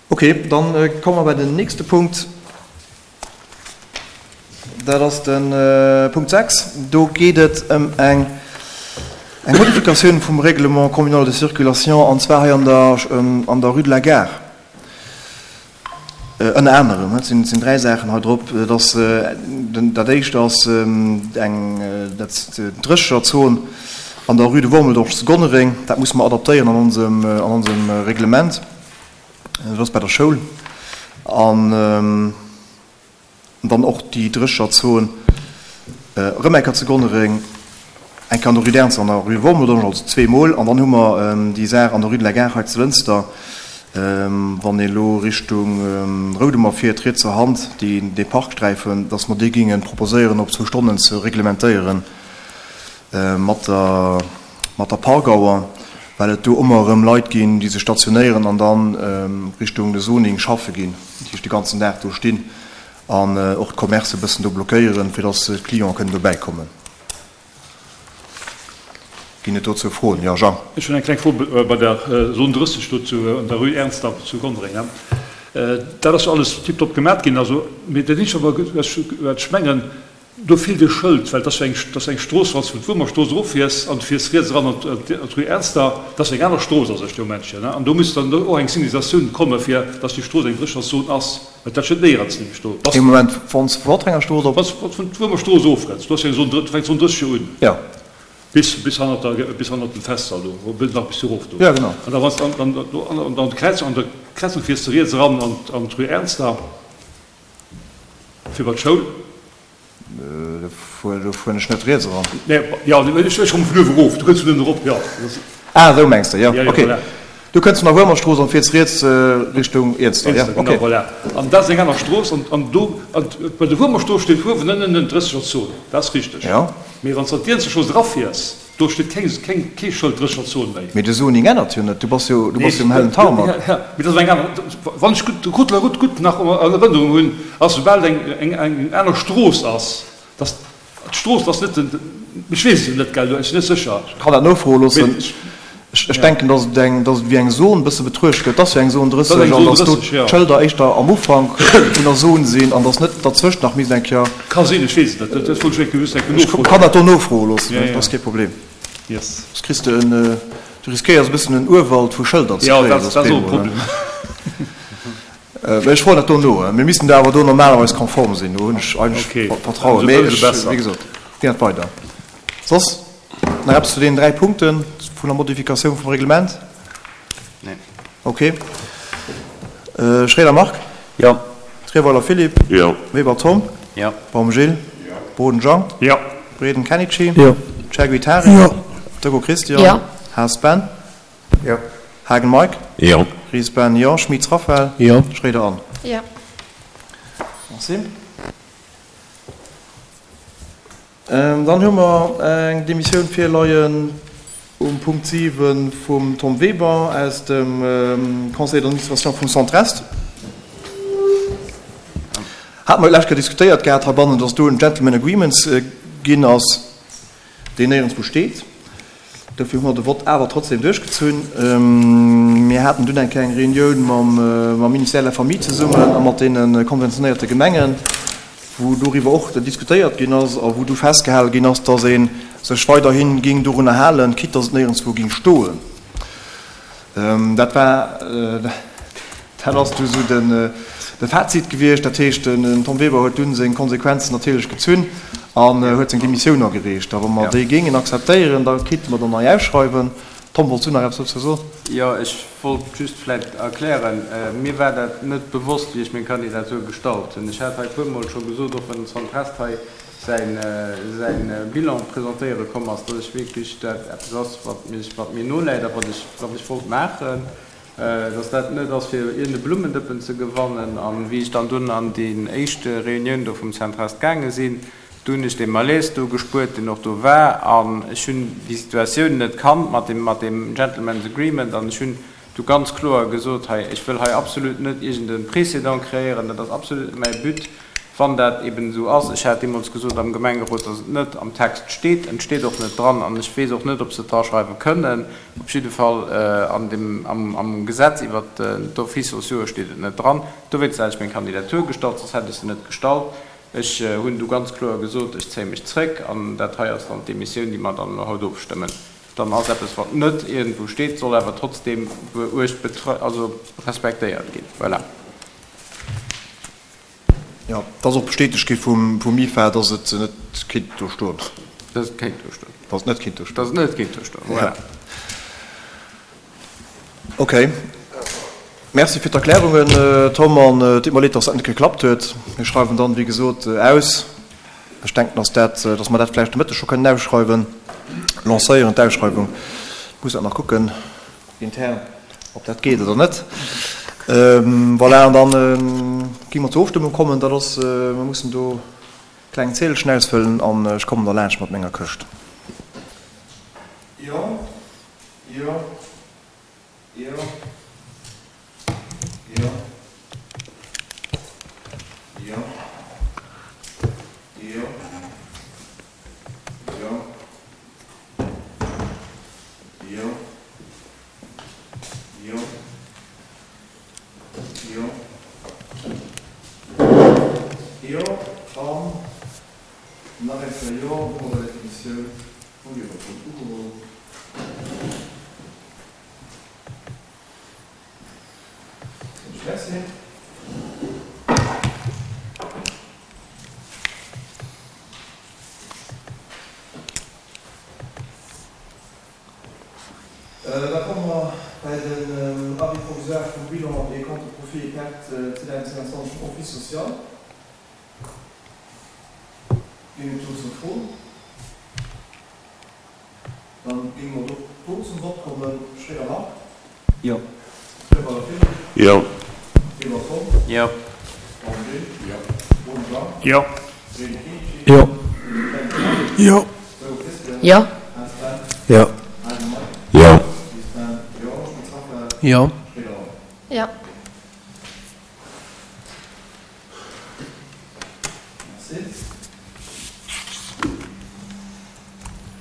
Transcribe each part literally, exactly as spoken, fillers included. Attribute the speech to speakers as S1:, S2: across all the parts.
S1: Ok, dann komme mer bei den nächste Punkt. Dat ass de Punkt sechs. Do geet et ëm eng eng Modifikatioun vum Règlement communal de circulation, an zwar hei an der an der Rue de la Gare. Ënner anerem, et sinn sinn dräi Saachen hei drop. Dat ass den dat éischt ass eng dat d'Drécherzon an der Rue de Wormeldange zu Gonnereng. Dat musse mer adaptéieren an onsem an onsem Reglement. Dat ass bei der Schoul. An dann och déi Drécherzon erëm eng Kéier zu Gonnereng, eng Kéier an der Rue d'Ernz an der Rue Wormeldange, also zweemol. An dann hu mer déi Saach an der Rue de la Gare hei zu Lënster, wann ee elo Richtung Roudemer fiert, rietser Hand, déi, dee Parksträifen, dass mer dee géinge proposéieren op zwou Stonnen ze reglementéieren mat der, mat der Parkauer, well et do ëmmer erëm Leit ginn, déi sech stationéieren an dann Richtung de Zoning schaffe ginn, dat heescht de ganzen Dag do stinn an och d'Commercë bëssen do blockéieren, fir dass d'Clienten kënnen dobäi kommen. Ginn et dozou Froen? Jo, Jean.
S2: Ech hunn eng kleng Fro bei der Zone drësseg do zu an der Rue Ernster zu Gonnereng. Dat ass jo alles tiptop gemat ginn, also, mee dat eenzegt, wat ech mengen, do feelt e Schëld, well et ass jo eng, et ass eng Strooss, wann s de vun d'Wuermerstrooss eroffiers an du fiers riets eran an d'Rue Ernster, dat ass eng aner Strooss a sech dee Momentchen, an do misst dann och eng Signalisatioun komme fir datt déi Strooss eng Drécherzon ass, well dat steet néierens nämlech do.
S1: Ee Moment, wann s de vun Ottrenger Strooss op.
S2: Wann s de vun d'Wuermerstrooss ofrënns, do ass jo eng Zone, do fänkt d'Zone drësseg jo un.
S1: Jo.
S2: Bis, bis hannert der, bis hannert dem Festsall do, bis nach bis erof do.
S1: Jo, genau.
S2: An da wann s de an, an, do an der Kräizung, an der Kräizung fiers de riets eran an, an d'Rue Ernster fir bei d'Schoul.
S1: Do fueren ech net riets eran.
S2: Nee, jo, ech komme vun uewe erof, du kënns vun ënnen erop, jo.
S1: Ah, esou mengs de, jo, ok. Du kënns vun der Wuermerstrooss an fiers riets Richtung Iernster, jo, ok.
S2: Genau, voilà. An dat ass eng aner Strooss an, an do, an bei der Wuermerstrooss steet uewen ënnen en Drëssegerzon, dat ass richteg.
S1: Jo.
S2: Mee wann s de an d'Iernsterstrooss erafiers, do steet keng, keng, kee Schëld Drëssegerzon méi.
S1: Mee de Zoning ännert jo net, du bass jo, du bass jo um hellen Tarmac.
S2: Nee, mee dat ass eng aner, wann ech gutt, de Route de la Route gutt nach an Erënnerung hunn, ass soubal et eng, eng, eng aner Strooss ass, dass d'Strooss ass net den, ech weess et jo net, gell, ech sinn net sécher.
S1: Ech kann dat nofroe loossen. Ech denken, dass et eng, dass et wéi eng Zon e bësse betruecht gëtt. Et ass jo eng Zon drësseg an dass do d'Schëlder éischter am Ufank vun der Zon sinn an dass net derzwëscht nach misst eng Kéier.
S2: Ka sinn, ech weess et net. Dat wollt ech just eng Kéier nofroen.
S1: Ech kann dat do nofroe loossen, dat ass kee Problem.
S2: Yes.
S1: Soss kriss de en, du riskéiers e bëssen en Urwald vu Schëlder ze kréien.
S2: Jo, dat ass och e Problem.
S1: Mee ech froen dat do no. Mir missten do awer do normalerweis konform sinn. Do hunn ech eigentlech Vertrauen. Mee ech, wéi gesot, ginn dat weider. Soss nach eppes zu deenen dräi Punkte vun der Modifikatioun vum Reglement?
S3: Nee.
S1: Okay. Schroeder Marc?
S3: Jo.
S1: Trierweiler Philippe?
S4: Jo.
S1: Weber Tom?
S3: Jo.
S1: Baum Gilles?
S4: Jo.
S1: Boden Jean?
S2: Jo.
S1: Breden Kenichi?
S5: Jo.
S1: Chergui Tarik?
S5: Jo.
S1: Deco Christian?
S6: Jo.
S1: Haas Ben?
S3: Jo.
S1: Haagen Mike?
S4: Jo.
S1: Ries Ben? Jo. Schmitz Raphaël?
S5: Jo.
S1: Schroeder Anne?
S6: Jo.
S1: Merci. Dann hu mer eng Demissioun virleien um Punkt siwe vum Tom Weber aus dem Conseil d'administration vum Centre Est. Hate mer d'lescht Kéier diskutéiert gehat heibannen, dass do en Gentleman Agreement ginn ass, deen néierenswou steet. Dofir hu mer de Vott awer trotzdem duerchgezunn. Mir haten dunn eng kleng Reunioun mam Ministère de la Famille zesummen a mat deene konventionéierte Gemengen, wou doriwwer och diskutéiert ginn ass a wou du festgehale ginn ass, dass ee sech weiderhi géing dorunner halen, quitte dass et néierenswou géing stoen. Dat war. Dat ass du sou den de Fazit gewiescht. Dat heescht, den Tom Weber huet dunn seng Konsequenzen natierlech gezunn an huet seng Demissioun agereecht. A wa mer déi géingen akzeptéieren, da kéinte mer dann nei ausschreiwen. Tom, wollts du nach eppes dozou soen?
S3: Jo, ech wollt just vläicht erklären, mir war dat net bewosst, wéi ech meng Kandidatur gestallt hunn. Ech hat hei e puermol scho gesot, och wann den Centre-Est hei säin säin Bilan presentéiere komm ass, datt ech wierklech dat eppes ass, wat mech wat mir noläit a wat ech wat ech wollt maachen. dass dat net ass fir iergend e Blummendëppen ze gewannen. An wéi ech dann dunn an déi éischt Reunioun do vum Centre-Est gaange sinn, do hunn ech dee Malaise do gespuert, deen och do war. An ech hunn déi Situatioun net kannt mat deem, mat deem Gentlemen's Agreement. An ech hunn du ganz kloer gesot, hei, ech wëll hei absolut net iergend e Précédent kreéieren, dat ass absolut net mäi But. Wann dat eben esou ass, ech hat deemools gesot am Gemengerot, dass et net am Text steet, et steet och net dran an ech weess och net, ob se et draschreiwe kënnen. Op jidde Fall an dem, am, am Gesetz iwwert d'Offices sociaux steet et net dran. Dowéinst hat ech meng Kandidatur gestallt, soss hätt ech se net gestallt. Ech hunn du ganz kloer gesot, ech zéie mech zréck an dat hei ass dann d'Demissioun, déi mer dann elo haut ofstëmmen. Dann ass eppes, wat net iergendwou steet, soll awer trotzdeem beuecht, also respektéiert ginn. Voilà.
S1: Jo, et ass och bestätegt gi vum MIFA, dass et net kéint do stoen.
S3: Dass et kéint do stoen.
S1: Dass et net kéint do stoen.
S3: Dass et net kéint do stoen, voilà.
S1: Okay. Merci fir d'Erklärungen, Tom, an et deet mer leed, dass dat net geklappt huet. Mir schreiwen dann, wéi gesot, aus. Ech denken, dass dat, dass mer dat vläicht de Mëtteg scho kënnen ausschreiwen, lancéieren, d'Ausschreiwung. Ech muss dat nach kucken intern, ob dat geet oder net. Voilà, an da gi mer zur Ofstëmmung kommen. Dat ass, mer mussen do e klengen Ziedelchen ausfëllen an ech kommen da laanscht mat menger Këscht. Jo, jo, jo, jo, jo, jo, jo, jo, jo. Jo. Jo, an nach eng Kéier Jo. Domadder wär d'Demissioun vum Liewerpool ugeholl. Soen ech Merci. Da komme mer bei den Avis provisoire vum Bilan des comptes de profits et pertes zweedausendzwéianzwanzeg vum Office social. Ginn et dozou Froen? Da géinge mer och do zum Vott kommen. Schréider Marc.
S4: Jo.
S1: Schreiber Philippe.
S4: Jo.
S1: Weber Tom.
S3: Jo.
S1: Baum Gilles.
S2: Jo.
S1: Roden Jean.
S2: Jo.
S1: Reding Kinichi.
S4: Jo.
S1: Klenk Jeanne.
S4: Jo.
S1: Beuel Christian.
S5: Jo.
S1: Haas Ben.
S4: Jo.
S1: Haagen Mike.
S4: Jo.
S1: Lies Ben. Jo. Schmitz Raphaël.
S4: Jo.
S1: Schréider Anne.
S5: Jo.
S1: Merci.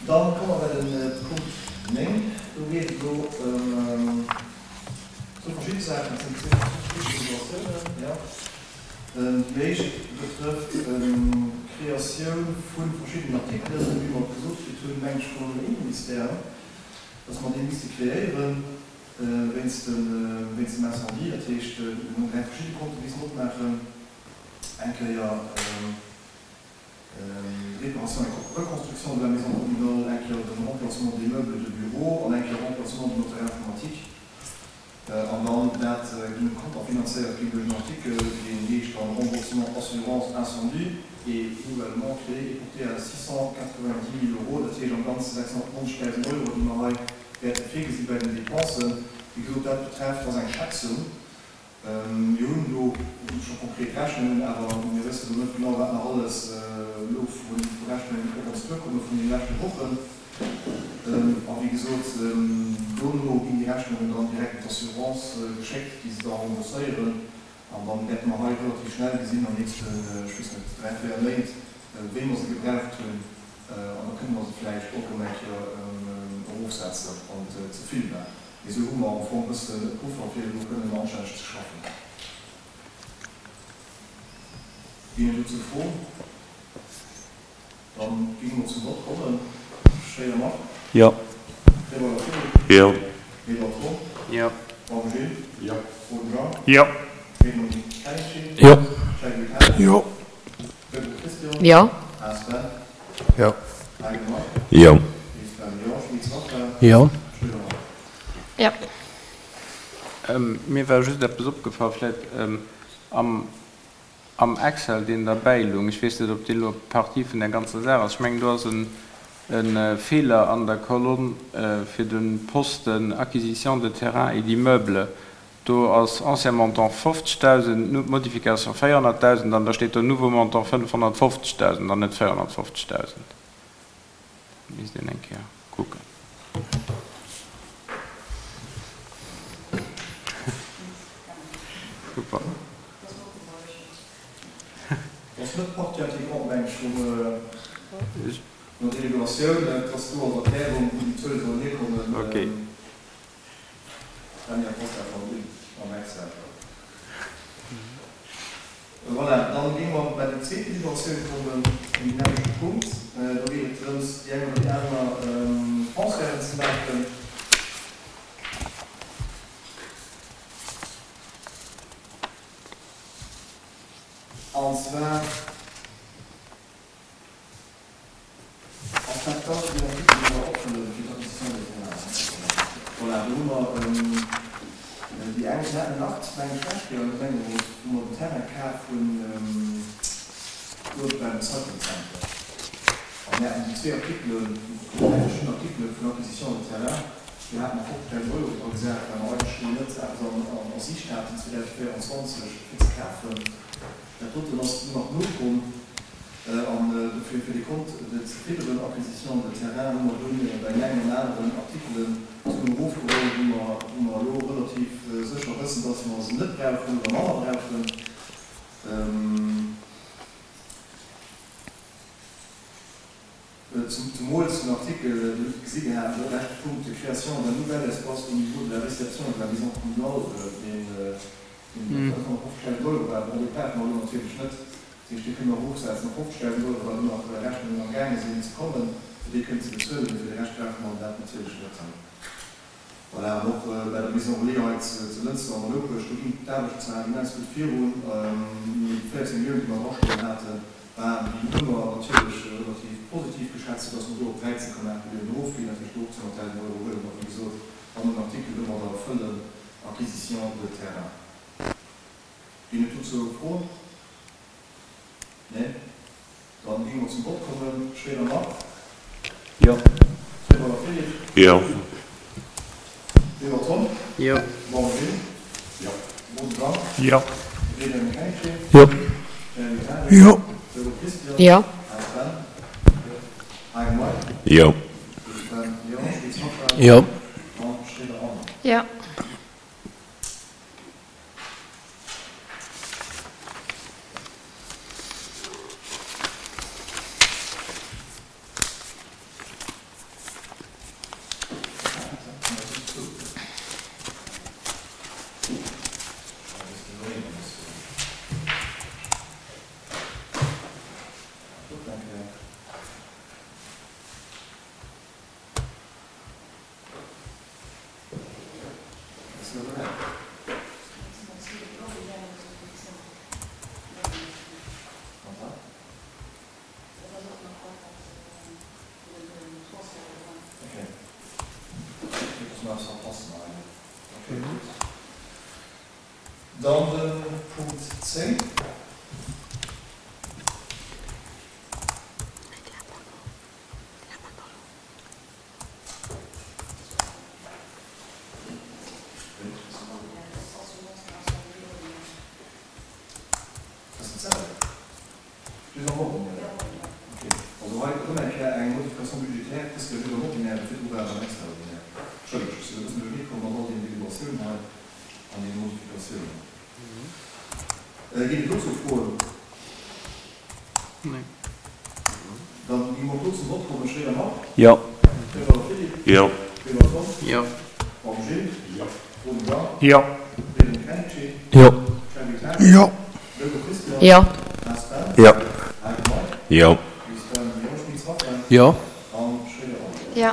S1: Dann komme mer bei de Punkt néng. Do geet et elo ëm zwou verschidde Saachen. Et sinn zwee verschidde Situatiounen. Jo. Déi éischt betrëfft d'Kreatioun vu verschiddenen Artikelen, esou wéi mer et gesot kritt hunn, meng ech, vum Inneministère, dass mer déi misste kreéieren wéinst dem Incendie. Dat heescht, mir hunn dräi verschidde Konte missen opmaachen, eng Kéier Réparation et reconstruction de la maison communale, eng Kéier de Remplacement des meubles de bureau an eng Kéier Remplacement du matériel informatique. An dann dat géing konterfinanzéiert ginn duerch en Artikel, deen heescht dann Remboursement assurance incendie et nouvellement créé et porté à six cent quatre-vingt-dix mille euros, dat heescht am Ganze sechshonnertneunzegdausend Euro, déi mer hei wäerte virgesi bei den Dépensen. Wéi gesot, dat betrefft, ass eng Schätzung. Mir hunn do scho konkret Rechnungen, awer mir wëssen elo net genau, wat nach alles elo vu Rechnungen op ons duerkomme vun deene leschte Wochen. A wéi gesot, dono ginn déi Rechnungen dann direkt un d'Assurance geschéckt, déi se da rembourséieren. An dann wäerte mer hei relativ schnell gesinn, am nächsten, ech weess net, dräi, véier Méint, wéi mer se gebraucht hunn. An da kënne mer se vläicht och erëm eng Kéier erofsetzen, wann et ze vill war. Mee esou hu mer am Fong e bëssen e Puffer, fir elo kënnen anstänneg ze schaffen. Ginn et dozou Froen? Da géinge mer zum Vott kommen. Schréider Marc.
S4: Jo.
S1: Kleber Philippe.
S4: Jo.
S1: Weber Tom.
S3: Jo.
S1: Baum Gilles.
S2: Jo.
S1: Roden Jean.
S2: Jo.
S1: Raymond Kenichi.
S4: Jo.
S1: Schäiwel Helen.
S4: Jo.
S1: Goebel Christian.
S5: Jo.
S1: Haas Ben.
S4: Jo.
S1: Haagen Marc.
S4: Jo.
S1: Lies Ben. Jo. Schmitz Raphaël.
S4: Jo.
S1: Schroeder Marc.
S5: Jo.
S3: Mir war just eppes opgefall, vläicht am am Excel, deen derbäi lung, ech weess net, ob dee elo Partie vun där ganzer Saach ass, ech mengen, do ass e Feeler an der Kolonn fir de Posten Acquisition de terrains et d'immeubles. Do ass ancien montant fofzegdausend, modification véierhonnertdausend an da steet do nouveau montant fënnefhonnertfofzegdausend an net véierhonnertfofzegdausend. Dat misst een eng Kéier kucken. Super.
S1: ass net Partie intégrante, meng ech, vum vun der Deliberatioun. Et ass do als Erklärung, wou déi Zuele sollen hierkommen.
S3: Okay.
S1: Daniel Costa van Uy am Excel. Voilà, dann géinge mer bei déi zweet Deliberatioun kommen, um deen nämmlechte Punkt. Do geet et drëms, déi eng oder déi aner Transferten ze maachen. An zwar ass dat dann deen Artikel, dee mer opfëllen fir d'Acquisition des terrains. Voilà, do hu mer déi eng, mir haten en Akt, meng ech, d'lescht Kéier am Gemengerot, wou mer den Terrain kaf hunn uewe beim Recycling Center. An mir haten déi zwee Artikelen, déi dräi verschidden Artikele vun Acquisition de terrain, do hate mer fofzegdausend Euro dra gesat, well mer eigentlech do net eppes a Siicht haten zweedausendvéierundzwanzeg fir ze kafen. Dat doten ass dunn nach nokomm an dofir, fir dee Kont ze fidderen, Acquisition de terrain, hu mer dunn bei deem engen an aneren Artikelen Suen erofgeholl, wou mer, wou mer elo relativ sécher wëssen, dass mer se net brauchen oder manner brauchen. Zemools den Artikel, Dir hutt et gesi gehat, de leschte Punkt, Création d'un nouvel espace au niveau de la réception et de la maison communale, deen, deen fënnfhonnertfofzegdausend Euro war. Bon, dee brauche mer elo natierlech net. Dat heescht, dee kënne mer erofsetzen op fofzegdausend Euro, well do nach Rechnungen am gaange sinn ze kommen, fir déi kënnen ze bezuelen. Mee fir de Rescht brauche mer dat natierlech net. Voilà, an och bei der Maison Relais hei zu Lënster an der Nopesch, do ginn d'Aarbechten zwar immens gutt virun, mee déi véierzéng Milliounen, déi mer drastoen haten, waren wéi ëmmer natierlech relativ positiv geschätzt, soudass mer do op dräizéng Komma aacht Milliounen erofginn. Dat heescht, do och zweehonnertdausend Euro huele mer, wéi gesot, an den Artikel domadder fëllen, Acquisition de terrain. Ginn et dozou Froen? Neen? Dann géinge mer zum Vott kommen. Schroeder Marc?
S4: Jo.
S1: Treweiler Philippe?
S5: Jo.
S1: Weber Tom?
S3: Jo.
S1: Baum Gilles?
S5: Jo.
S1: Boden Dan?
S2: Jo.
S1: Reding Henri?
S4: Jo.
S1: Schneider Patrick?
S4: Jo.
S1: Vogel Christian?
S6: Jo.
S1: Haas Ben? Jo. Hagen Mike?
S5: Jo.
S1: Schmitz Ben? Jo. Schmitz Raphaël?
S4: Jo.
S1: An Schroeder Anne?
S6: Jo.
S7: Dann de Punkt zéng. Ass dat selwecht? Just am Ordinaire? Ok. Also hei erëm eng Kéier eng Modification budgétaire, dës Kéier just am Ordinaire, virdru war et am Extraordinaire. Entschëllegt, ech sinn e bëssen duerchernee komm mat all deenen Deliberatiounen hei an deene Modifikatiounen. Ginn et dozou Froen?
S3: Nee.
S7: Dann gi mer och do zum Vott kommen. Schroeder Marc?
S4: Jo.
S7: Schroeder Philippe?
S5: Jo.
S7: Schroeder Tom?
S3: Jo.
S7: Baum Gilles?
S5: Jo.
S7: Roden Dan?
S2: Jo.
S7: Reding Henri?
S4: Jo.
S7: Schneider Patrick?
S4: Jo.
S7: Vogel Christian?
S6: Jo.
S7: Haas Ben?
S4: Jo.
S7: Hagen Mike?
S5: Jo.
S7: Schmitz Ben? Jo. Schmitz Raphaël?
S4: Jo.
S7: An Schroeder Anne?
S6: Jo.